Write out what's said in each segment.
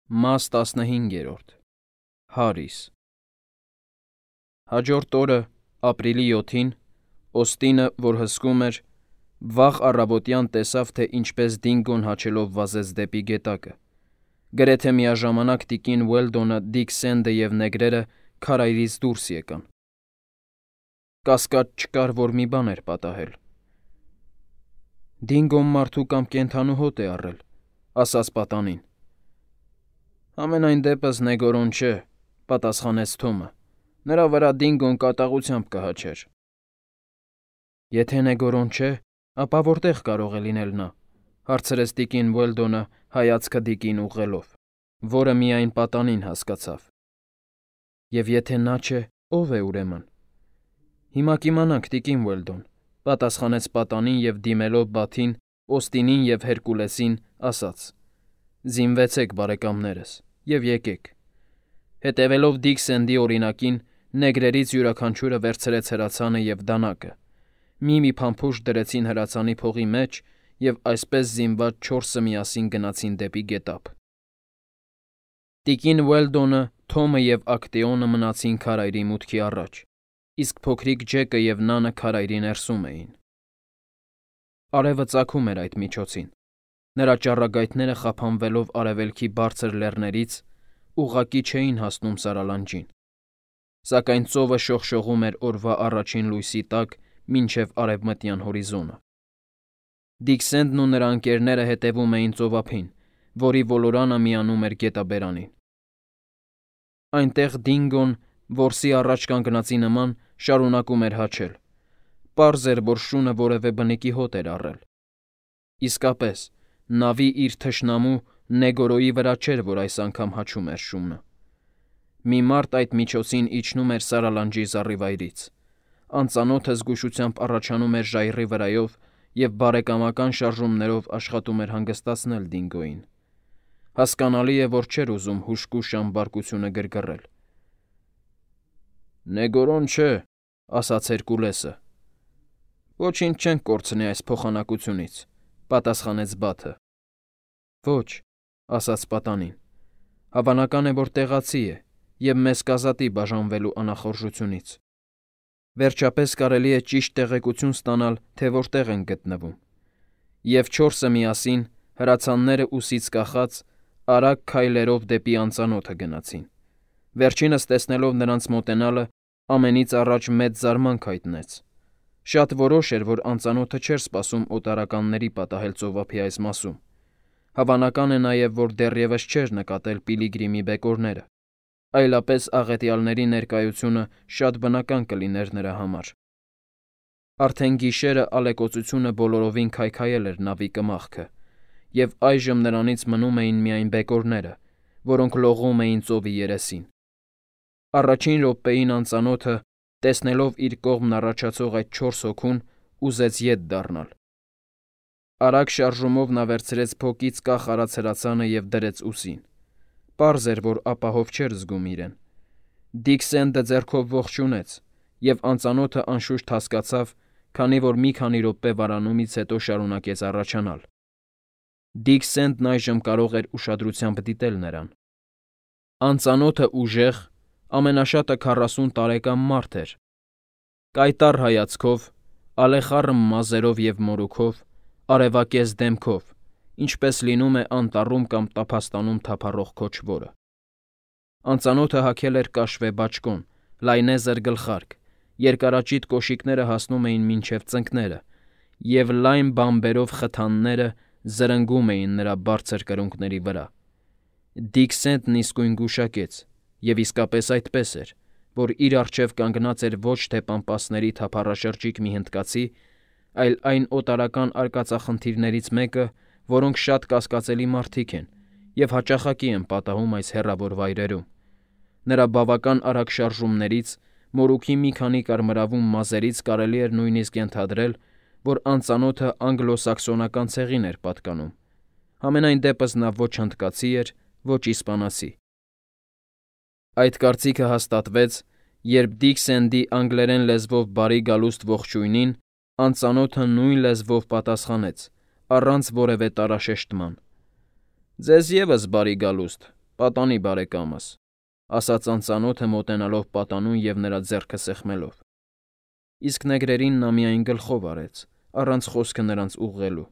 Մաս 15 Հարիս Հաջորդ օրը, ապրիլի 7-ին, Օստինը, որ հսկում էր, վաղ առավոտյան տեսավ, թե ինչպես Դինգոն հաչելով վազեց դեպի գետակը։ Գրեթե միաժամանակ տիկին Ուելդոնը, Դիկ Սենդը և նեգրերը քարայրից դուրս եկան։ Կասկած չկար, որ մի բան էր պատահել։ «Դինգոն մարդու կամ կենդանու հոտ է առել», ասաց պատանին։ «Համենայն դեպս նեգորոն չէ», պատասխանեց Թոմը։ «Նրա վրա Դինգոն կատաղությամբ կհաչեր»։ «Եթե նեգորոն չէ, ապա որտեղ կարող է լինել նա», հարցրեց տիկին Ուելդոնը հայացքը Դիկին ուղղելով, որը միայն պատանին հասկացավ։ «Եվ եթե նա չէ, ո՞վ է ուրեմն»։ «Հիմա կիմանանք, տիկին Ուելդոն», պատասխանեց պատանին և դիմելով Բաթին, Օստինին և Հերկուլեսին, ասաց. «Զինվեցեք, բարեկամներս, և եկեք»։ Հետևելով Դիկ Սենդի օրինակին, նեգրերից յուրաքանչյուրը վերցրեց հրացանը և դանակը։ Մի փամփուշտ դրեցին հրացանի փողի մեջ և այսպես զինված 4-ը միասին գնացին դեպի գետափ։ Տիկին Ուելդոնը, Թոմը և Ակտեոնը մնացին քարայրի մուտքի առաջ, իսկ փոքրիկ Ջեկը և Նանը քարայրի ներսում էին։ Արևը ծագում էր այդ միջոցին։ Նրա ճառագայթները խափանվելով արևելքի բարձր լեռներից ուղղակի չէին հասնում Սարալանջին։ Սակայն ծովը շողշողում էր օրվա առաջին լույսի տակ մինչև արևմտյան հորիզոնը։ Դիկ Սենդն ու նրա ընկերները հետևում էին ծովափին, որի ոլորանը միանում էր գետաբերանին։ Այնտեղ Դինգոն, որսի առաջ կանգնածի նման, շարունակում էր հաչել։ Պարզ էր, որ շունը որևէ բնիկի հոտ էր առել։ Իսկապես, նավի իր թշնամու Նեգորոյի վրա չէր, որ այս անգամ հաչում էր շունը։ Մի մարդ այդ միջոցին իջնում էր Սարալանջի զառիվայրից։ Անծանոթը զգուշությամբ առաջանում էր ժայռի վրայով և բարեկամական շարժումներով աշխատում էր հանգստացնել Դինգոյին։ Հասկանալի է, որ չէր ուզում հուժկու շամբարկությունը գրգռել։ «Նեգորոն չէ», ասաց Հերկուլեսը։ «Ոչինչ չենք կորցնի այս փոխանակությունից», պատասխանեց Բաթը։ «Ոչ», ասաց պատանին։ «Հավանական է, որ տեղացի է և մեզ կազատի բաժանվելու անախորժությունից։ Վերջապես կարելի է ճիշտ տեղեկություն ստանալ, թե որտեղ ենք գտնվում»։ Եվ 4-ը միասին, հրացանները ուսից կախած, արագ քայլերով դեպի անծանոթը գնացին։ Վերջինս տեսնելով նրանց մոտենալը, ամենից առաջ մեծ զարմանք հայտնեց։ Շատ որոշ էր, որ անծանոթը չէր սպասում օտարականների պատահել ծովափի այս մասում։ Հավանական է նաև, որ դեռևս չէր նկատել Պիլիգրիմի բեկորները, այլապես աղետյալների ներկայությունը շատ բնական կլիներ նրա համար։ Արդեն գիշերը ալեկոծությունը բոլորովին քայքայել էր նավի կմախքը, և այժմ նրանից մնում էին միայն բեկորները, որոնք լողում էին ծովի երեսին։ Առաջին րոպեին անծանոթը, տեսնելով իր կողմն առաջացող այդ 4 հոգուն, ուզեց ետ դառնալ։ Արագ շարժումով նա վերցրեց փոկից կախ արած հրացանը և դրեց ուսին։ Պարզ էր, որ ապահով չէր զգում իրեն։ Դիկ Սենդը ձեռքով ողջունեց, և անծանոթը անշուշտ հասկացավ, քանի որ մի քանի րոպե վարանումից հետո շարունակեց առաջանալ։ Դիկ Սենդն այժմ կարող էր ուշադրությամբ դիտել նրան։ Անծանոթը ուժեղ, ամենաշատը 40 տարեկան մարդ էր։ Կայտառ հայացքով, ալեխառն մազերով և մորուքով, արևակեզ դեմքով, ինչպես լինում է անտառում կամ տափաստանում թափառող քոչվորը։ Անծանոթը հագել էր կաշվե բաճկոն, լայնեզր գլխարկ, երկարաճիտ կոշիկները հասնում էին մինչև ծնկները, և լայն բամբերով խթանները զրնգում էին նրա բարձր կրունկների վրա։ Դիկ Սենդն իսկույն գուշակեց, և իսկապես այդպես էր, որ իր առջև կանգնած էր ոչ թե պամպասների թափառաշրջիկ մի հնդկացի, այլ այն օտարական արկածախնդիրներից մեկը, որոնք շատ կասկածելի մարդիկ են և հաճախակի են պատահում այս հեռավոր վայրերում։ Նրա բավական արագ շարժումներից, մորուքի մի քանի կարմրավուն մազերից կարելի էր նույնիսկ ենթադրել, որ անծանոթը անգլո֊սաքսոնական ցեղին էր պատկանում։ Համենայն դեպս նա ոչ հնդկացի էր, ոչ իսպանացի։ Այդ կարծիքը հաստատվեց, երբ Դիկ Սենդի անգլերեն լեզվով բարի գալուստ ողջույնին անծանոթը նույն լեզվով պատասխանեց, առանց որևէ տարաշեշտման. «Ձեզ ևս բարի գալուստ, պատանի բարեկամս, ասաց անծանոթը մոտենալով պատանուն և նրա ձեռքը սեղմելով։ Իսկ նեգրերին նա միայն գլխով արեց, առանց խոսքը նրանց ուղղելու։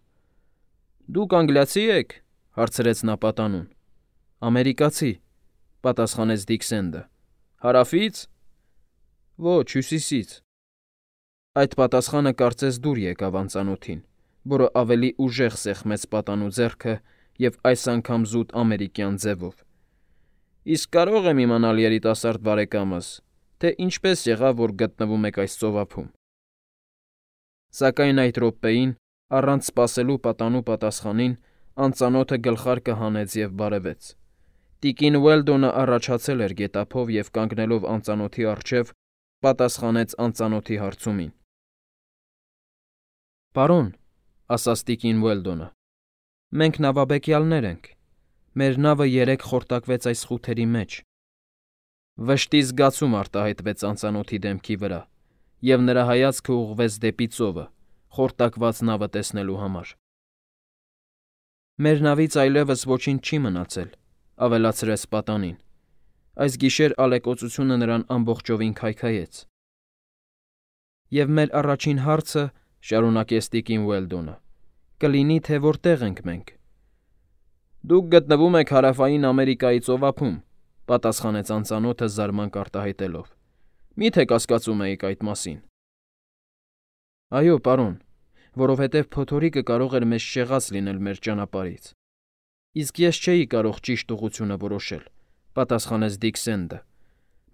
Դուք անգլիացի եք, հարցրեց նա պատանուն։ Ամերիկացի, պատասխանեց Դիքսենդը։ Հարավից։ Ոչ, հյուսիսից։ Այդ պատասխանը կարծես դուր եկավ անծանոթին, որը ավելի ուժեղ սեղմեց պատանու ձեռքը և այս անգամ զուտ ամերիկյան ձևով։ Իսկ կարո՞ղ եմ իմանալ, երիտասարդ բարեկամս, թե ինչպես եղավ, որ գտնվում եք այս ծովափում։ Սակայն այդ րոպեին, առանց սպասելու պատանու պատասխանին, անծանոթը գլխարկը հանեց և բարևեց։ Տիկին Ուելդոնը առաջացել էր գետափով և կանգնելով անծանոթի առջև, պատասխանեց անծանոթի հարցումին։ Պարոն, ասաց տիկին Ուելդոնը, մենք նավաբեկյալներ ենք։ Մեր նավը երեկ խորտակվեց այս խութերի մեջ։ Վշտի զգացում արտահայտվեց անծանոթի դեմքի վրա, և նրա հայացքը ուղղվեց դեպի ծովը, խորտակված նավը տեսնելու համար։ Մեր նավից այլևս ոչինչ չի մնացել, ավելացրեց պատանին։ Այս գիշեր ալեկոծությունը նրան ամբողջովին քայքայեց։ Եվ մեր առաջին հարցը, շարունակեց տիկին Ուելդոնը, կլինի, թե որտեղ ենք մենք։ Դուք գտնվում եք Հարավային Ամերիկայի ծովափում, պատասխանեց անծանոթը զարմանք արտահայտելով։ Մի՞թե կասկածում էիք այդ մասին։ Այո, պարոն, որովհետև փոթորիկը կարող էր մեզ շեղած լինել մեր ճանապարհից։ Իսկ ես չէի կարող ճիշտ ուղղությունը որոշել, պատասխանեց Դիքսենդը,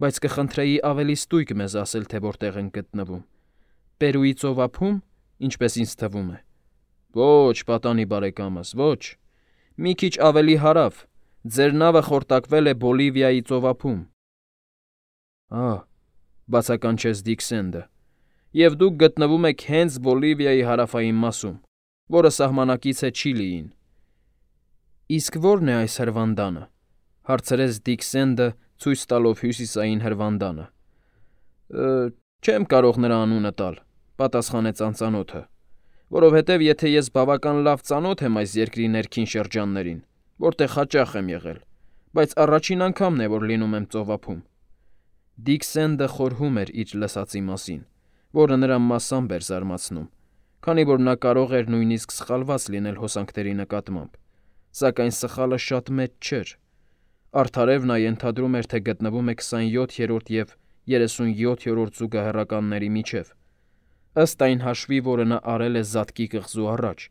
բայց կխնդրեի ավելի ստույգ մեզ ասել, թե որտեղ ենք գտնվում։ Պերուի ծովափում, ինչպես ինձ թվում է։ Ոչ, պատանի բարեկամս, ոչ։ Մի քիչ ավելի հարավ, ձեր նավը խորտակվել է Բոլիվիայի ծովափում։ Բացականչեց Դիքսենդը։ Եվ դուք գտնվում եք հենց Բոլիվիայի հարավային մասում, որը սահմանակից է Չիլիին։ Իսկ ո՞րն է այս հրվանդանը, հարցրեց Դիքսենդը, ցույց տալով հյուսիսային հրվանդանը։ Չեմ կարող նրա անունը տալ, պատասխանեց անծանոթը, որովհետև եթե ես բավական լավ ծանոթ եմ այս երկրի ներքին շրջաններին, որտեղ հաճախ եմ եղել, բայց առաջին անգամն է, որ լինում եմ ծովափում։ Դիքսենդը խորհում էր իր լսածի մասին, որը նրան մասամբ էր զարմացնում, քանի որ նա կարող էր նույնիսկ սխալված լինել հոսանքների նկատմամբ, սակայն սխալը շատ մեծ չէր։ Արդարև նա ենթադրում էր, թե գտնվում է 27-րդ և 37-րդ զուգահեռականների միջև, ըստ այն հաշվի, որը նա արել է Զատկի կղզու առաջ,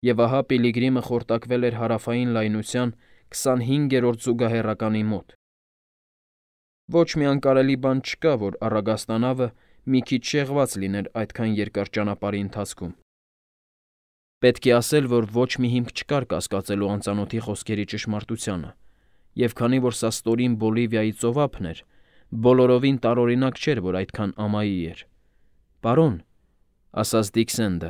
և ահա Պիլիգրիմը խորտակվել էր հարավային լայնության 25-րդ զուգահեռականի մոտ։ Ոչ մի անկարելի բան չկա, որ առագաստանավը մի քիչ շեղված լիներ այդքան երկար ճանապարհի ընթացքում։ Պետք է ասել, որ ոչ մի հիմք չկար կասկածելու անծանոթի խոսքերի ճշմարտությանը, և քանի որ սա ստորին Բոլիվիայի ծովափն էր, բոլորովին տարօրինակ չէր, որ այդքան ամայի էր։ Պարոն, ասաց Դիքսենդը,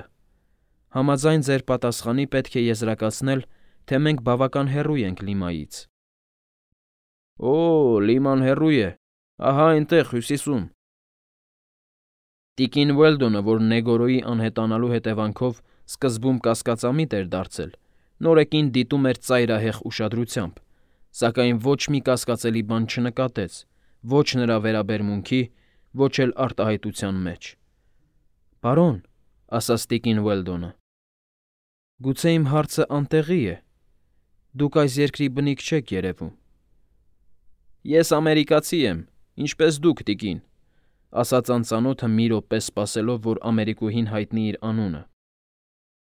համաձայն ձեր պատասխանի պետք է եզրակացնել, թե մենք բավական հեռու ենք Լիմայից։ Լիման հեռու է, ահա այնտեղ, հյուսիսում։ Տիկին Ուելդոնը, որ Նեգորոյի անհետանալու հետևանքով սկզբում կասկածամիտ էր դարձել, նորեկին դիտում էր ծայրահեղ ուշադրությամբ, սակայն ոչ մի կասկածելի բան չնկատեց, ոչ նրա վերաբերմունքի, ոչ էլ արտահայտության մեջ։ Պարոն, ասաց տիկին Ուելդոնը, գուցե իմ հարցը անտեղի է։ Դուք այս երկրի բնիկ չեք երևում։ Ես ամերիկացի եմ, ինչպես դուք, տիկին, ասաց անծանոթը մի րոպե սպասելով, որ ամերիկուհին հայտնի իր անունը։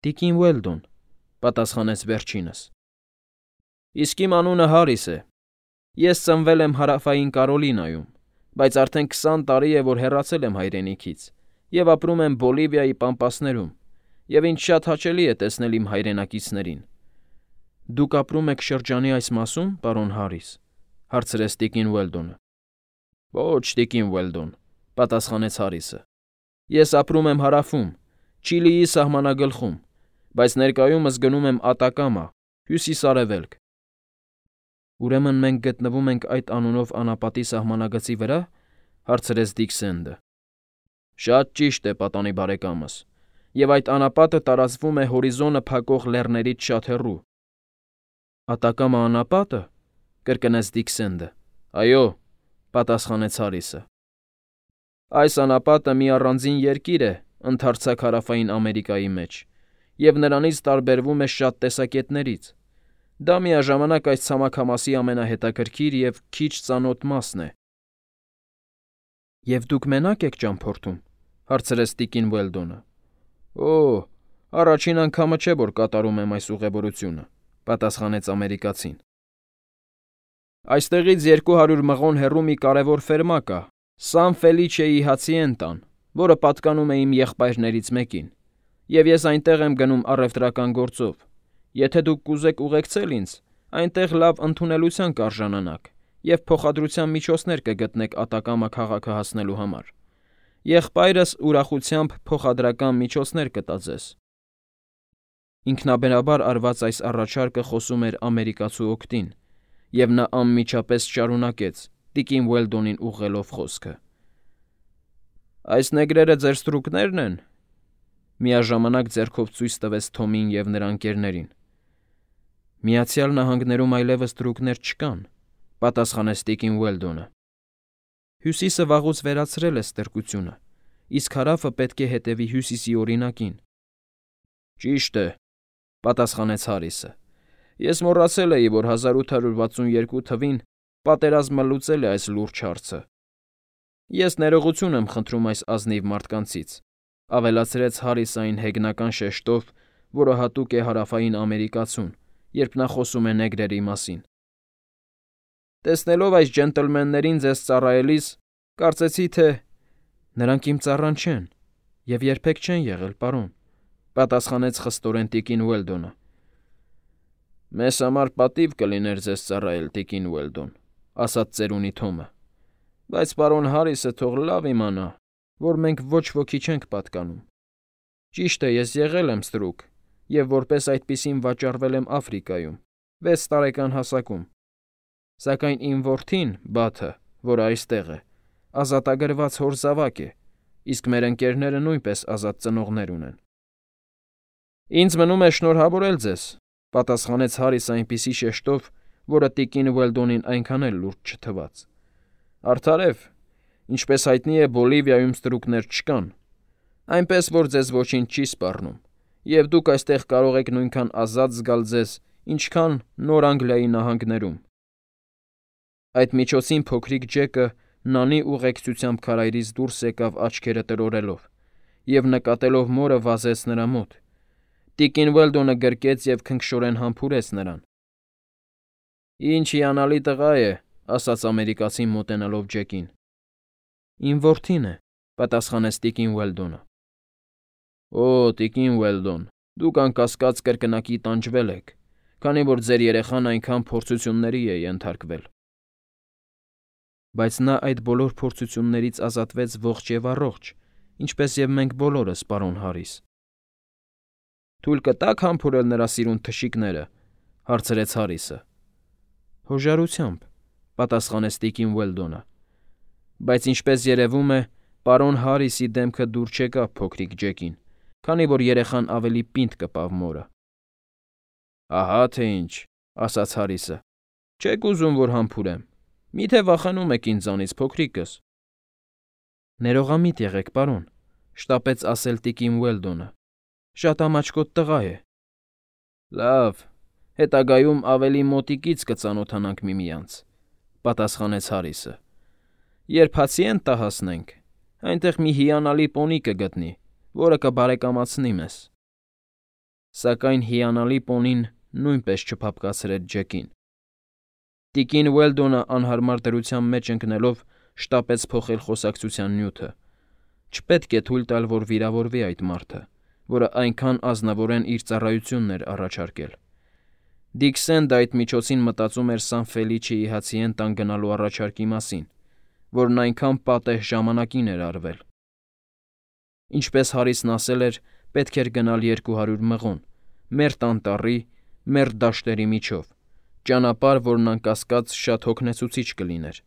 Տիկին Ուելդոն, պատասխանեց վերջինս։ Իսկ իմ անունը Հարիս է։ Ես ծնվել եմ Հարավային Կարոլինայում, բայց արդեն 20 տարի է, որ հեռացել եմ հայրենիքից և ապրում եմ Բոլիվիայի պամպասներում, և ինձ շատ հաճելի է տեսնել իմ հայրենակիցներին։ Դուք ապրում եք շրջանի այս մասում, պարոն Հարիս, հարցրեց տիկին Ուելդոնը։ Ոչ, տիկին Ուելդոն, պատասխանեց Հարիսը։ Ես ապրում եմ հարավում, Չիլիի սահմանագլխում, բայց ներկայումս գնում եմ Ատակամա, հյուսիս֊արևելք։ Ուրեմն մենք գտնվում ենք այդ անունով անապատի սահմանագծի վրա, հարցրեց Դիքսենդը։ Շատ ճիշտ է, պատանի բարեկամս, և այդ անապատը տարածվում է հորիզոնը փակող լեռներից շատ հեռու։ Ատակամա անապա՞տը, կրկնեց Դիքսենդը։ Այո, պատասխանեց Հարիսը։ Այս անապատը մի առանձին երկիր է ընդարձակ հարավային Ամերիկայի մեջ, և նրանից տարբերվում է շատ տեսակետներից։ Դա միաժամանակ այս ցամաքամասի ամենահետաքրքիր և քիչ ծանոթ մասն է։ Եվ դուք մենակ եք ճամփորդում, հարցրեց տիկին Ուելդոնը։ Օ, առաջին անգամը չէ, որ կատարում եմ այս ուղևորությունը, պատասխանեց ամերիկացին։ Այստեղից 200 մղոն հեռու մի կարևոր ֆերմա կա, Սան Ֆելիչեի Հացիենտան, որը պատկանում է իմ եղբայրներից մեկին, և ես այնտեղ եմ գնում առևտրական գործով։ Եթե դուք կուզեք ուղեկցել ինձ, այնտեղ լավ ընդունելության կարժանանաք և փոխադրության միջոցներ կգտնեք Ատակամա քաղաքը հասնելու համար։ Եղբայրս ուրախությամբ փոխադրական միջոցներ կտա ձեզ։ Ինքնաբերաբար արված այս առաջարկը խոսում էր ամերիկացու օգտին, և նա անմիջապես շարունակեց, տիկին Ուելդոնին ուղղելով խոսքը. Այս նեգրերը ձեր ստրուկնե՞րն են։ Միաժամանակ ձեռքով ցույց տվեց Թոմին և նրա ընկերներին։ Միացյալ Նահանգներում այլևս ստրուկներ չկան, պատասխանեց տիկին Ուելդոնը։ Հյուսիսը վաղուց վերացրել է ստրկությունը, իսկ հարավը պետք է հետևի հյուսիսի օրինակին։ Ճիշտ է, պատասխանեց Հարիսը։ Ես մոռացել էի, որ 1862 թվին պատերազմը լուծել է այս լուրջ հարցը։ Ես ներողություն եմ խնդրում այս ազնիվ մարդկանցից, ավելացրեց Հարիսը այն հեգնական շեշտով, որը հատուկ է հարավային ամերիկացուն, երբ նա խոսում է նեգրերի մասին։ Տեսնելով այս ջենտլմեններին ձեզ ծառայելիս, կարծեցի, թե նրանք իմ ծառան չեն և երբեք չեն եղել, պարոն, պատասխանեց խստորեն տիկին Ուելդոնը։ Մեզ համար պատիվ կլիներ ձեզ ծառայել, տիկին Ուելդոն, ասաց ծերունի Թոմը, բայց պարոն Հարիսը թող լավ իմանա, որ մենք ոչ ոքի չենք պատկանում։ Ճիշտ է, ես եղել եմ ստրուկ և որպես այդպիսին վաճառվել եմ Աֆրիկայում, 6 տարեկան հասակում։ Սակայն իմ որդին, Բաթը, որը այստեղ է, ազատագրված հոր զավակ է, իսկ մեր ընկերները նույնպես ազատ ծնողներ ունեն։ Ինձ մնում է շնորհավորել ձեզ, պատասխանեց Հարիսը այնպիսի շեշտով, որը տիկին Ուելդոնին այնքան էլ լուրջ չթվաց։ Արդարև, ինչպես հայտնի է, Բոլիվիայում ստրուկներ չկան, այնպես որ ձեզ ոչինչ չի սպառնում, և դուք այստեղ կարող եք նույնքան ազատ զգալ ձեզ, ինչքան Նոր Անգլիայի նահանգներում։ Այդ միջոցին փոքրիկ Ջեկը նանի ուղեկցությամբ քարայրից դուրս եկավ աչքերը տրորելով և նկատելով մորը վազեց նրա մոտ։ Տիկին Ուելդոնը գրկեց և քնքշորեն համբուրեց նրան։ Ինչ հիանալի տղա է, ասաց ամերիկացին մոտենալով Ջեկին։ Իմ որդին է, պատասխանեց տիկին Ուելդոնը։ Օ, տիկին Ուելդոն, դուք անկասկած կրկնակի տանջվել եք, քանի որ ձեր երեխան այնքան փորձությունների է ենթարկվել։ Բայց նա այդ բոլոր փորձություններից ազատվեց ողջ և առողջ, ինչպես և մենք բոլորս, պարոն Հարիս։ Թույլ կտա՞ք համբուրել նրա սիրուն թշիկները, հարցրեց Հարիսը։ Հոժարությամբ, պատասխանեց տիկին Ուելդոնը։ Բայց ինչպես երևում է, պարոն Հարիսի դեմքը դուր չեկավ փոքրիկ Ջեկին, քանի որ երեխան ավելի պինդ կպավ մորը։ Ահա թե ինչ, ասաց Հարիսը։ Չեք ուզում, որ համբուրեմ։ Միթե վախենում եք ինձանից, փոքրիկս։ Ներողամիտ եղեք, պարոն, շտապեց ասել տիկին Ուելդոնը։ Շատ ամաչկոտ տղա է։ Լավ, հետագայում ավելի մոտիկից կծանոթանանք միմյանց, պատասխանեց Հարիսը։ Երբ Հացիենտա հասնենք, այնտեղ մի հիանալի պոնի կգտնի, որը կբարեկամացնի մեզ։ Սակայն հիանալի պոնին նույնպես չփափկացրեց Ջեկին։ Տիկին Ուելդոնը անհարմար դրության մեջ ընկնելով շտապեց փոխել խոսակցության նյութը։ Չպետք է թույլ տալ, որ վիրավորվի այդ մարդը, որը այնքան ազնվորեն իր ծառայությունն էր առաջարկել։ Դիքսենդը այդ միջոցին մտածում էր Սան Ֆելիչեի Հացիենտան գնալու առաջարկի մասին, որն այնքան պատեհ ժամանակին էր արվել։ Ինչպես Հարիսն ասել էր, պետք էր գնալ 200 մղոն, մերթ անտառի, մերթ դաշտերի միջով, ճանապարհ, որն անկասկած շատ հոգնեցուցիչ կլիներ,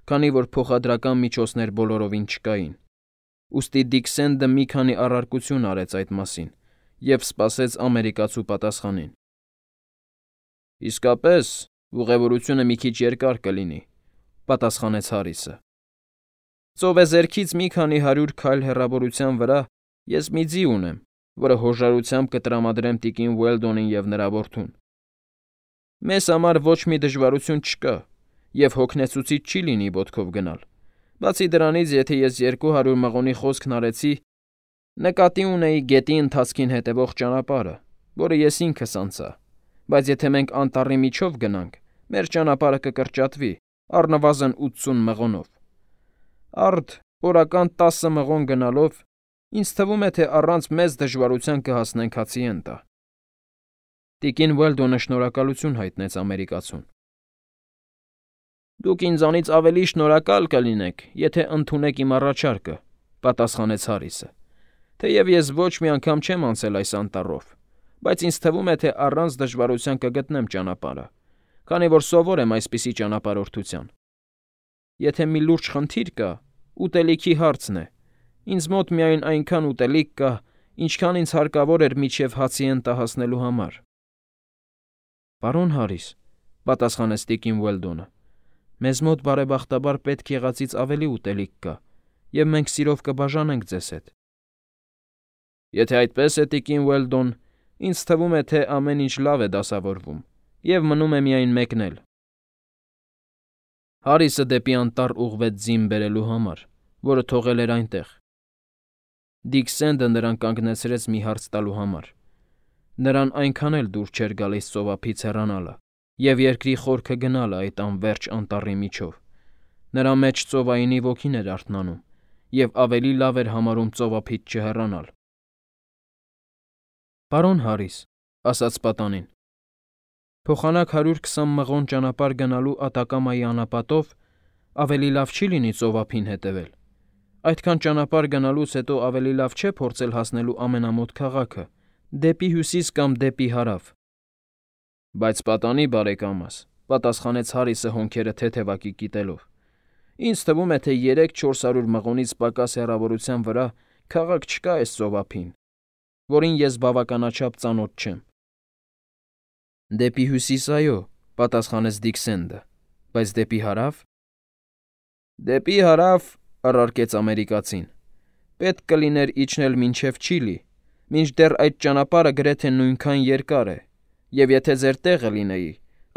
քանի որ փոխադրական միջոցներ բոլորովին չկային։ Ուստի Դիքսենդը մի քանի առարկություն արեց այդ մասին և սպասեց ամերիկացու պատասխանին։ Իսկապես, Ուղևորությունը մի քիչ երկար կլինի, պատասխանեց Հարիսը։ Ծովեզերքից մի քանի 100 քայլ հեռավորության վրա ես մի ձի ունեմ, որը հոժարությամբ կտրամադրեմ տիկին Ուելդոնին և նրա որդուն։ Մեզ համար ոչ մի դժվարություն չկա, և հոգնեցուցիչ չի լինի ոտքով գնալ։ Բացի դրանից, եթե ես 200 մղոնի խոսքն արեցի, նկատի ունեի գետի ընթացքին հետևող ճանապարհը, որը ես ինքս անցա, բայց եթե մենք անտառի միջով գնանք, մեր ճանապարհը կկրճատվի առնվազն 80 մղոնով։ Արդ օրական 10 մղոն գնալով, ինձ թվում է, թե առանց մեծ դժվարության կհասնենք Հացիենտա։ Տիկին Ուելդոնը շնորհակալություն հայտնեց ամերիկացուն։ Դուք ինձանից ավելի շնորհակալ կլինեք, եթե ընդունեք իմ առաջարկը, պատասխանեց Հարիսը։ Թեև ես ոչ մի անգամ չեմ անցել այս անտառով, բայց ինձ թվում է, թե առանց դժվարության կգտնեմ ճանապարհը, քանի որ սովոր եմ այսպիսի ճանապարհորդության։ Եթե մի լուրջ խնդիր կա, ուտելիքի հարցն է։ Ինձ մոտ միայն այնքան ուտելիք կա, ինչքան ինձ հարկավոր էր մինչև Հացիենտա հասնելու համար։ Պարոն Հարիս, պատասխանեց տիկին Ուելդոնը, մեզ մոտ բարեբախտաբար պետք եղածից ավելի ուտելիք կա, և մենք սիրով կբաժանենք ձեզ հետ։ Եթե այդպես է, տիկին Ուելդոն, ինձ թվում է, թե ամեն ինչ լավ է դասավորվում, և մնում է միայն մեկնել։ Հարիսը դեպի անտառ ուղղվեց ձին բերելու համար, որը թողել էր այնտեղ։ Դիք Սենդը նրան կանգնեցրեց մի հարց տալու համար։ Նրան այնքան էլ դուր չէր գալիս ծովափից հեռանալը և երկրի խորքը գնալը այդ անվերջ անտառի միջով։ Նրա մեջ ծովայինի ոգին էր արթնանում, և ավելի լավ էր համարում ծովափից չհեռանալ։ Պարոն Հարիս, ասաց պատանին, փոխանակ 120 մղոն ճանապարհ գնալու Ատակամայի անապատով ավելի լավ չի լինի ծովափին հետևել։ Այդքան ճանապարհ գնալուց հետո ավելի լավ չէ փորձել հասնելու ամենամոտ քաղաքը, դեպի հյուսիս կամ դեպի հարավ։ Բայց պատանի բարեկամս, պատասխանեց Հարիսը հոնքերը թեթևակի կիտելով։ Ինձ թվում է, թե 300-400 մղոնից պակաս հեռավորության վրա քաղաք չկա այս ծովափին, որին ես բավականաչափ ծանոթ չեմ։ Դեպի հյուսիս, այո, պատասխանեց Դիքսենդը, բայց դեպի հարավ։ Դեպի հարավ, առարկեց ամերիկացին, պետք կլիներ իջնել մինչև Չիլի, մինչդեռ այդ ճանապարհը գրեթե նույնքան երկար է, և եթե ձեր տեղը լինեի,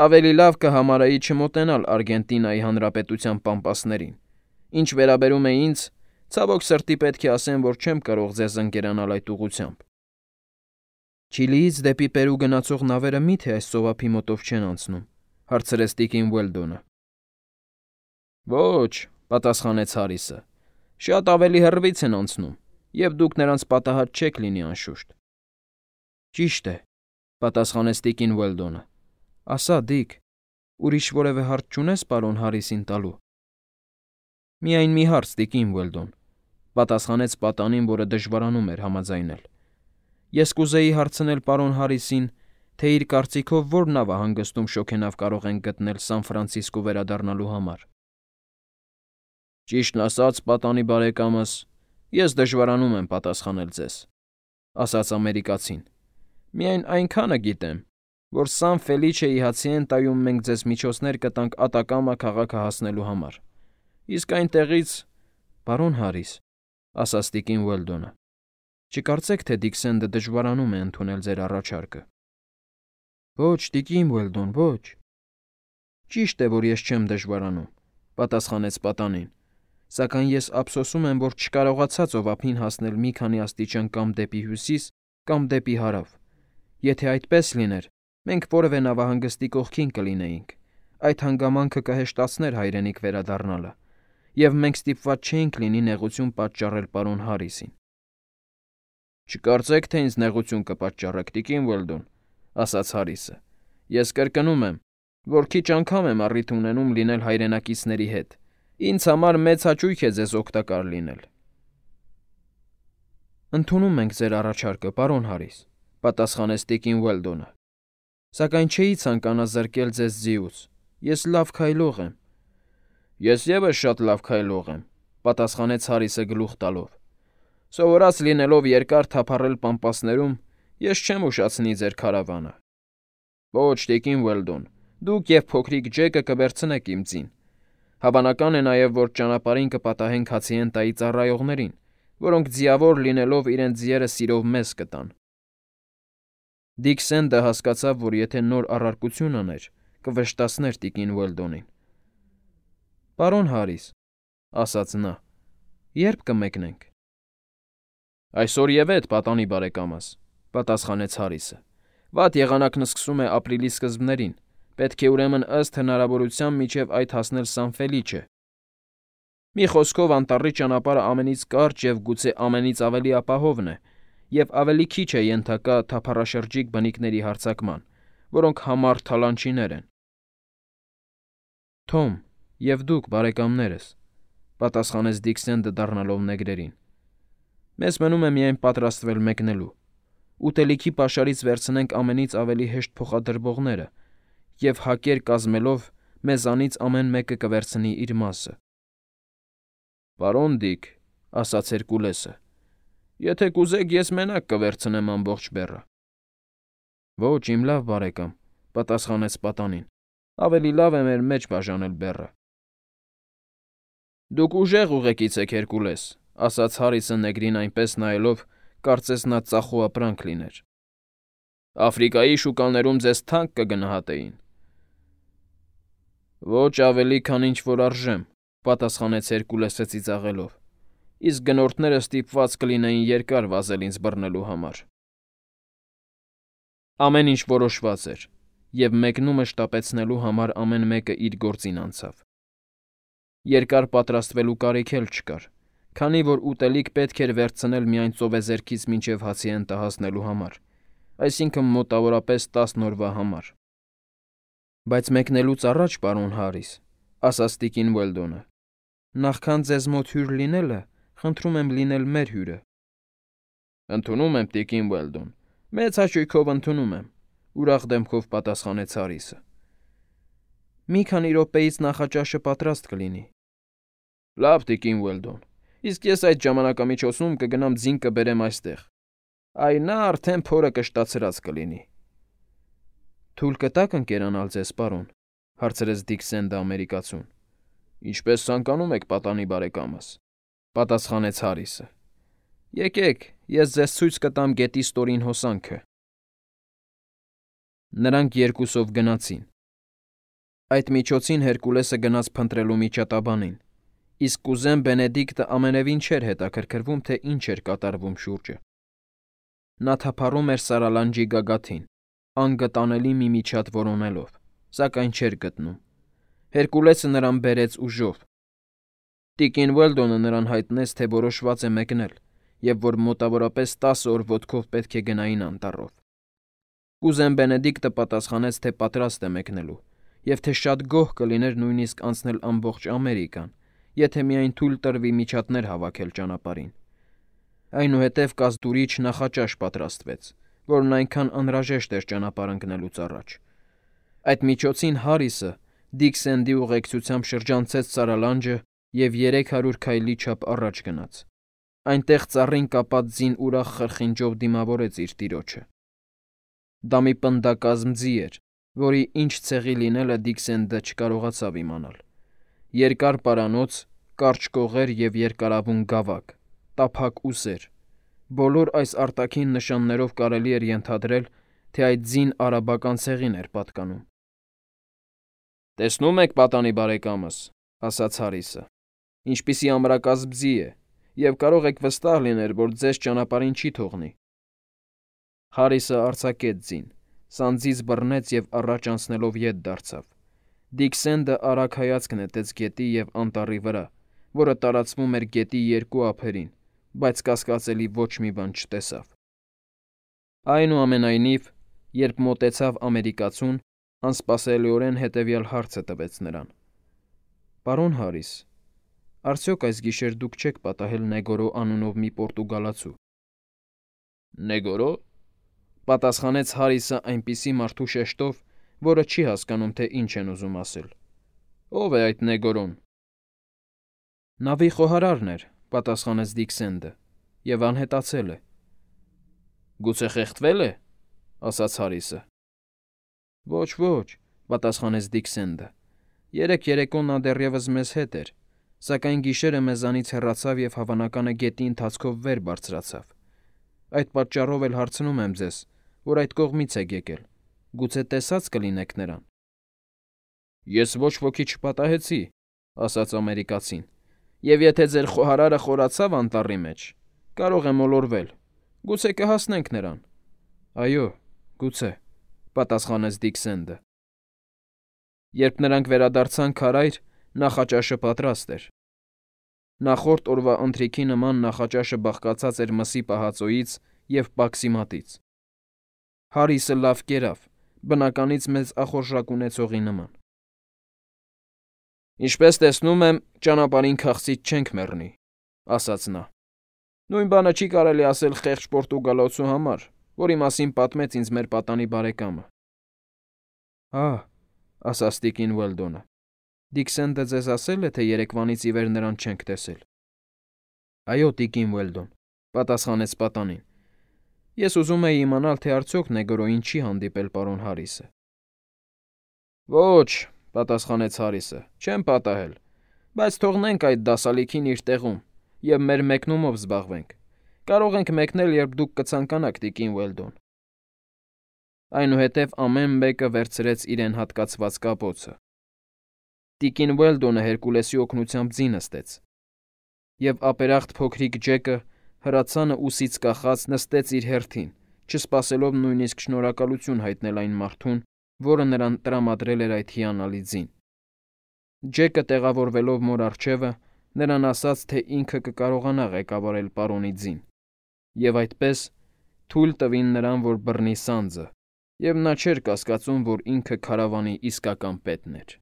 ավելի լավ կհամարայի չմոտենալ Արգենտինայի Հանրապետության պամպասներին։ Ինչ վերաբերում է ինձ, ցավոք սրտի պետք է ասեմ, որ չեմ կարող ձեզ ընկերանալ այդ ուղղությամբ։ Չիլիից դեպի Պերու գնացող նավերը մի՞թե այս ծովափի մոտով չեն անցնում, հարցրեց տիկին Ուելդոնը։ Ոչ, պատասխանեց Հարիսը, շատ ավելի հեռվից են անցնում, և դուք նրանց պատահած չեք լինի անշուշտ։ Ճիշտ է, պատասխանեց տիկին Ուելդոնը։ Ասա, Դիք, ուրիշ որևէ հարց չունես պարոն Հարիսին տալու։ Միայն մի հարց, տիկին Ուելդոն, պատասխանեց պատանին, որը դժվարանում էր համաձայնել։ Ես կուզեի հարցնել պարոն Հարիսին, թե իր կարծիքով ո՞ր նավահանգստում շոգենավ կարող ենք գտնել Սան Ֆրանցիսկո վերադառնալու համար։ Ճիշտն ասած, պատանի բարեկամս, ես դժվարանում եմ պատասխանել ձեզ, ասաց ամերիկացին։ Միայն այնքանը գիտեմ, որ Սան Ֆելիչեի Հացիենտայում մենք ձեզ միջոցներ կտանք Ատակամա քաղաքը հասնելու համար։ Իսկ այնտեղից, պարոն Հարիս, ասաց տիկին Ուելդոնը, չկարծեք, թե Դիքսենդը դժվարանում է ընդունել ձեր առաջարկը։ Ոչ, տիկին Ուելդոն, ոչ։ Ճիշտ է, որ ես չեմ դժվարանում, պատասխանեց պատանին, սակայն ես ափսոսում եմ, որ չկարողացա ծովափին հասնել մի քանի աստիճան կամ դեպի հյուսիս, կամ դեպի հարավ։ Եթե այդպես լիներ, մենք որևէ նավահանգստի կողքին կլինեինք։ Այդ հանգամանքը կհեշտացներ հայրենիք վերադառնալը, և մենք ստիպված չէինք լինի նեղություն պատճառել պարոն Հարիսին։ Չկարծեք, թե ինձ նեղություն կպատճառեք, տիկին Ուելդոն, ասաց Հարիսը։ Ես կրկնում եմ, որ քիչ անգամ եմ առիթ ունենում լինել հայրենակիցների հետ։ Ինձ համար մեծ հաճույք է ձեզ օգտակար լինել։ Ընդունում ենք ձեր առաջարկը, պարոն Հարիս, պատասխանեց տիկին Ուելդոնը։ Սակայն չէի ցանկանա զրկել ձեզ ձիուց։ Ես լավ քայլող եմ։ Ես ևս շատ լավ քայլող եմ, պատասխանեց Հարիսը գլուխ տալով։ Սովորած լինելով երկար թափառել պամպասներում, ես չեմ ուշացնի ձեր քարավանը։ Ոչ, տիկին Ուելդոն, Դուք եւ փոքրիկ Ջեկը կվերցնեք իմ ձին։ Հավանական է նաև, որ ճանապարհին կպատահենք Հացիենտայի ծառայողներին, որոնք ձիավոր լինելով իրենց ձիերը սիրով մեզ կտան։ Դիքսենդը հասկացավ, որ եթե նոր առարկություն աներ, կվշտացներ տիկին Ուելդոնին։ «Պարոն Հարիս», ասաց նա, «երբ կմեկնենք»։ «Այսօր եւ էդ, պատանի բարեկամս», պատասխանեց Հարիսը։ «Վատ եղանակն սկսում է ապրիլի սկզբներին, պետք է ուրեմն ըստ հնարավորության մինչև այդ հասնել Սան-Ֆելիչե։ Մի խոսքով անտառի ճանապարհը ամենից կարճ եւ գուցե ամենից ավելի ապահովն է, եւ ավելի քիչ է ենթակա թափառաշրջիկ բնիկների հարձակման, որոնք համառ թալանչիներ են»։ «Թոմ, եւ դուք, բարեկամներս», պատասխանեց Դիքսենդը դառնալով նեգրերին։ «Մեզ մնում է միայն պատրաստվել մեկնելու։ Ուտելիքի պաշարից վերցնենք ամենից ավելի հեշտ փոխադրվողները, եւ հակեր կազմելով մեզանից ամեն մեկը կվերցնի իր մասը»։ «Պարոն Դիք», ասաց Հերկուլեսը, «եթե կուզեք, ես մենակ կվերցնեմ ամբողջ բեռը»։ «Ոչ, իմ լավ բարեկամ», պատասխանեց պատանին, «ավելի լավ է մեր մեջ բաժանել բեռը»։ «Դուք ուժեղ ուղեկից եք, Հերկուլես», ասաց Հարիսը նեգրին այնպես նայելով, կարծես նա ծախուապրանք լիներ։ «Աֆրիկայի շուկաներում ձեզ թանկ կգնահատեին»։ «Ոչ ավելի, քան ինչ որ արժեմ», պատասխանեց Հերկուլեսը ծիծաղելով, «իսկ գնորդները ստիպված կլինեին երկար վազել ինձ բռնելու համար»։ Ամեն ինչ որոշված էր, եւ մեկնումը շտապեցնելու համար ամեն մեկը իր գործին անցավ։ Երկար պատրաստվելու կարիք էլ չկար, քանի որ ուտելիք պետք էր վերցնել միայն ծովեզերքից մինչև Հացիենտա հասնելու համար, այսինքն մոտավորապես 10 օրվա համար։ «Բայց մեկնելուց առաջ, պարոն Հարիս», ասաց տիկին Ուելդոնը, «նախքան ձեզ մոտ հյուր լինելը, խնդրում եմ լինել մեր հյուրը»։ «Ընդունում եմ, տիկին Ուելդոն, մեծ հաճույքով ընդունում եմ», ուրախ դեմքով պատասխանեց Հարիսը։ «Մի քանի րոպեից նախաճաշը պատրաստ կլինի»։ «Լավ, տիկին Ուելդոն, իսկ ես այդ ժամանակամիջոցում կգնամ ձին կբերեմ այստեղ։ Այ նա արդեն փորը կշտացրած կլինի»։ «Թույլ կտաք ընկերանալ ձեզ, պարոն», հարցրեց Դիքսենդը ամերիկացուն։ «Ինչպես ցանկանում եք, պատանի բարեկամս», պատասխանեց Հարիսը։ «Եկեք, ես ձեզ ցույց կտամ գետի ստորին հոսանքը»։ Նրանք երկուսով գնացին։ Այդ միջոցին Հերկուլեսը գնաց փնտրելու միջատաբանին, իսկ կուզեն Բենեդիկտը ամենևին չէր հետաքրքրվում, թե ինչ էր կատարվում շուրջը։ Նա թափառում էր սարալանջի գագաթին, անգտանելի մի միջատ որոնելով, սակայն չէր գտնում։ Հերկուլեսը նրան բերեց ուժով։ Տիկին Ուելդոնը նրան հայտնեց, թե որոշված է մեկնել, եւ որ մոտավորապես 10 օր ոտքով պետք է գնային անտառով։ Կուզեն Բենեդիկտը պատասխանեց, թե պատրաստ է մեկնելու, եւ թե շատ գոհ կլիներ նույնիսկ անցնել ամբողջ Ամերիկան, եթե միայն թույլ տրվի միջատներ հավաքել ճանապարհին։ Այնուհետև կազդուրիչ նախաճաշ պատրաստվեց, որն այնքան անհրաժեշտ էր ճանապարհ ընկնելուց առաջ։ Այդ միջոցին Հարիսը Դիքսենդի ուղեկցությամբ շրջանցեց սարալանջը եւ 300 քայլի չափ առաջ գնաց։ Այնտեղ ծառին կապած ձին ուրախ խրխինջով դիմավորեց իր տիրոջը։ Դա մի պնդակազմ ձի էր, որի ինչ ցեղի լինելը Դիքսենդը չկարողացավ իմանալ։ Երկար պարանոց, կարճ կողեր եւ երկարավուն գավակ, տափակ ուսեր։ Բոլոր այս արտաքին նշաններով կարելի էր ենթադրել, թե այդ ձին արաբական ցեղին էր պատկանում։ «Տեսնում եք, պատանի բարեկամս», ասաց Հարիսը, «ինչպիսի ամրակազմ ձի է, եւ կարող եք վստահ լինել, որ ձեզ ճանապարհին չի թողնի»։ Հարիսը արձակեց ձին, սանձից բռնեց եւ առաջ անցնելով ետ դարձավ։ Դիքսենդը արագ հայացք նետեց գետի եւ անտառի վրա, որը տարածվում էր գետի երկու ափերին, բայց կասկածելի ոչ մի բան չտեսավ։ Այնուամենայնիվ, երբ մոտեցավ ամերիկացուն, անսպասելիորեն հետևյալ հարցը տվեց նրան. «Պարոն Հարիս, արդյոք այս գիշեր դուք չեք պատահել Նեգորո անունով մի պորտուգալացու»։ «Նեգորո», պատասխանեց Հարիսը այնպիսի մարդու շեշտով, որը չի հասկանում, թե ինչ են ուզում ասել։ «Ո՞վ է այդ Նեգորոն»։ «Նավի խոհարարն էր», պատասխանեց Դիքսենդը, «եւ անհետացել է»։ «Գուցե խեղդվե՞լ է», ասաց Հարիսը։ «Ոչ, ոչ, պատասխանեց Դիքսենդը։ Երեք երեկո նա դեռևս մեզ հետ էր, սակայն գիշերը մեզանից հեռացավ և հավանական է գետի ընթացքով վեր բարձրացավ։ Այդ պատճառով էլ հարցնում եմ ձեզ, որ այդ կողմից եք եկել, գուցե տեսած կլինեք նրան։ Ես ոչ ոքի չպատահեցի, ասաց ամերիկացին, և եթե ձեր խոհարարը խորացավ անտառի մեջ, կարող է մոլորվել, գուցե կհասնենք նրան։ Այո, գուցե, պատասխանեց Դիքսենդը։ Երբ նրանք վերադարձան քարայր, նախաճաշը պատրաստ էր։ Նախորդ օրվա ընթրիքի նման նախաճաշը բաղկացած էր մսի պահածոյից և պաքսիմատից։ Հարիսը լավ կերավ, բնականից մեծ ախորժակ ունեցողի նման։ Ինչպես տեսնում եմ, ճանապարհին քաղցից չենք մեռնի, ասաց նա։ Նույն բանը չի կարելի ասել խեղճ պորտուգալացու համար, որի մասին պատմեց ինձ մեր պատանի բարեկամը։ Ահ, ասաց տիկին Ուելդոնը, Դիքսենդը ձեզ ասել է, թե երեկվանից ի վեր նրան չենք տեսել։ Այո, տիկին Ուելդոն, պատասխանեց պատանին։ Ես ուզում էի իմանալ, թե արդյոք Նեգրոյին չի հանդիպել պարոն Հարիսը։ Ոչ, պատասխանեց Հարիսը, չեմ պատահել, բայց թողնենք այդ դասալիքին իր տեղում և մեր մեկնումով զբաղվենք։ Կարող ենք մեկնել, երբ դուք կցանկանաք, տիկին Ուելդոն։ Այնուհետև ամեն մեկը վերցրեց իրեն հատկացված կապոցը։ Տիկին Ուելդոնը Հերկուլեսի օգնությամբ ձի նստեց, և ապերախտ փոքրիկ Ջեկը հրացանը ուսից կախած նստեց իր հերթին, չսպասելով նույնիսկ շնորհակալություն հայտնել այն մարդուն, որը նրան տրամադրել էր այդ հիանալի ձին։ Ջեկը, տեղավորվելով մոր առջևը, նրան ասաց, թե ինքը կկարողանա ղեկավարել պարոնի ձին, և այդպես թույլ տվին նրան, որ բռնի սանձը, և նա չէր կասկածում, որ ինքը քարավանի իսկական պետն էր։